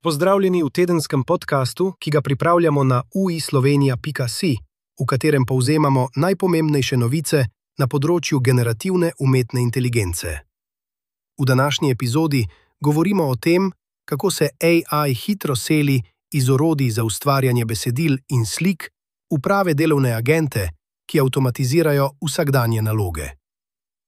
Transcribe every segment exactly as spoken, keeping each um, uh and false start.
Pozdravljeni v tedenskem podkastu, ki ga pripravljamo na u i slovenija pika si, v katerem povzemamo najpomembnejše novice na področju generativne umetne inteligence. V današnji epizodi govorimo o tem, kako se A I hitro seli iz orodij za ustvarjanje besedil in slik v prave delovne agente, ki avtomatizirajo vsakdanje naloge.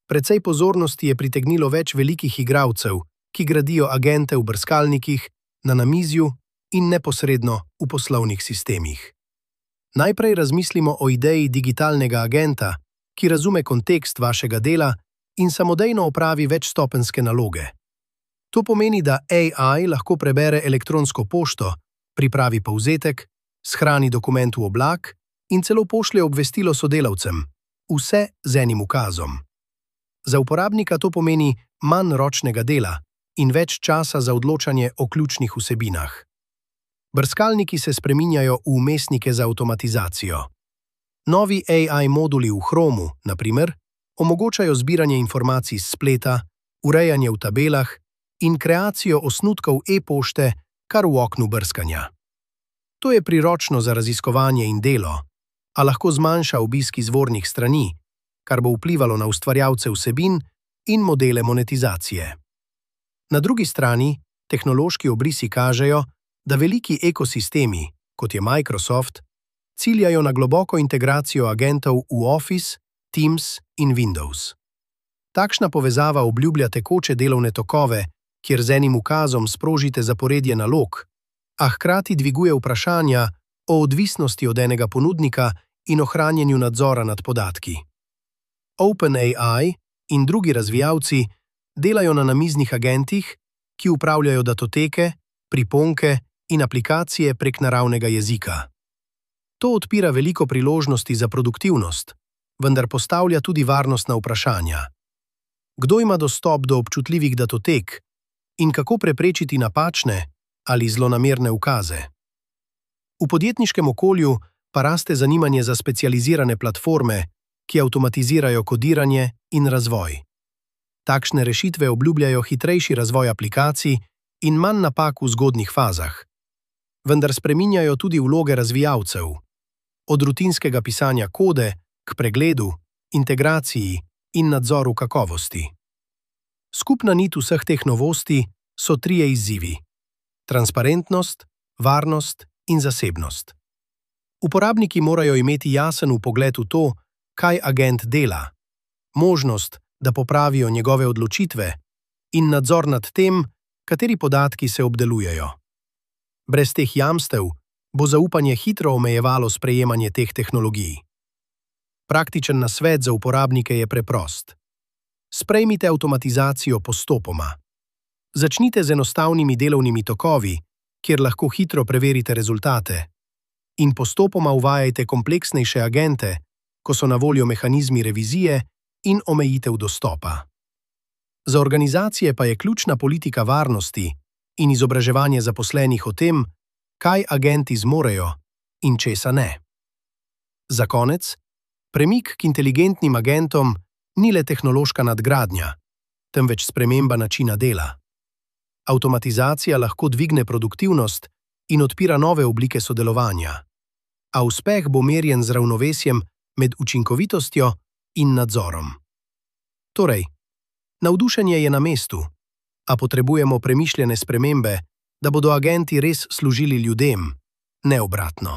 Precej pozornosti je pritegnilo več velikih igralcev, ki gradijo agente v brskalnikih, na namizju in neposredno v poslovnih sistemih. Najprej razmislimo o ideji digitalnega agenta, ki razume kontekst vašega dela in samodejno opravi večstopenjske naloge. To pomeni, da A I lahko prebere elektronsko pošto, pripravi povzetek, shrani dokument v oblak in celo pošlje obvestilo sodelavcem, vse z enim ukazom. Za uporabnika to pomeni manj ročnega dela in več časa za odločanje o ključnih vsebinah. Brskalniki se spreminjajo v vmesnike za avtomatizacijo. Novi A I moduli v Chromu, na primer, omogočajo zbiranje informacij s spleta, urejanje v tabelah in kreacijo osnutkov e-pošte kar v oknu brskanja. To je priročno za raziskovanje in delo, a lahko zmanjša obisk izvornih strani, kar bo vplivalo na ustvarjalce vsebin in modele monetizacije. Na drugi strani, tehnološki obrisi kažejo, da veliki ekosistemi, kot je Microsoft, ciljajo na globoko integracijo agentov v Office, Teams in Windows. Takšna povezava obljublja tekoče delovne tokove, kjer z enim ukazom sprožite zaporedje nalog, a hkrati dviguje vprašanja o odvisnosti od enega ponudnika in ohranjanju nadzora nad podatki. OpenAI in drugi razvijalci delajo na namiznih agentih, ki upravljajo datoteke, priponke in aplikacije prek naravnega jezika. To odpira veliko priložnosti za produktivnost, vendar postavlja tudi varnostna vprašanja. Kdo ima dostop do občutljivih datotek in kako preprečiti napačne ali zlonamerne ukaze? V podjetniškem okolju pa raste zanimanje za specializirane platforme, ki avtomatizirajo kodiranje in razvoj. Takšne rešitve obljubljajo hitrejši razvoj aplikacij in manj napak v zgodnjih fazah. Vendar spreminjajo tudi vloge razvijalcev, od rutinskega pisanja kode k pregledu, integraciji in nadzoru kakovosti. Skupna nit vseh teh novosti so trije izzivi: transparentnost, varnost in zasebnost. Uporabniki morajo imeti jasen vpogled v to, kaj agent dela, možnost, da popravijo njegove odločitve in nadzor nad tem, kateri podatki se obdelujejo. Brez teh jamstev bo zaupanje hitro omejevalo sprejemanje teh tehnologij. Praktičen nasvet za uporabnike je preprost. Sprejmite avtomatizacijo postopoma. Začnite z enostavnimi delovnimi tokovi, kjer lahko hitro preverite rezultate, in postopoma uvajajte kompleksnejše agente, ko so na voljo mehanizmi revizije in omejitev dostopa. Za organizacije pa je ključna politika varnosti in izobraževanje zaposlenih o tem, kaj agenti zmorejo in česa ne. Za konec, premik k inteligentnim agentom ni le tehnološka nadgradnja, temveč sprememba načina dela. Avtomatizacija lahko dvigne produktivnost in odpira nove oblike sodelovanja, a uspeh bo merjen z ravnovesjem med učinkovitostjo in nadzorom. Torej, navdušenje je na mestu, a potrebujemo premišljene spremembe, da bodo agenti res služili ljudem, ne obratno.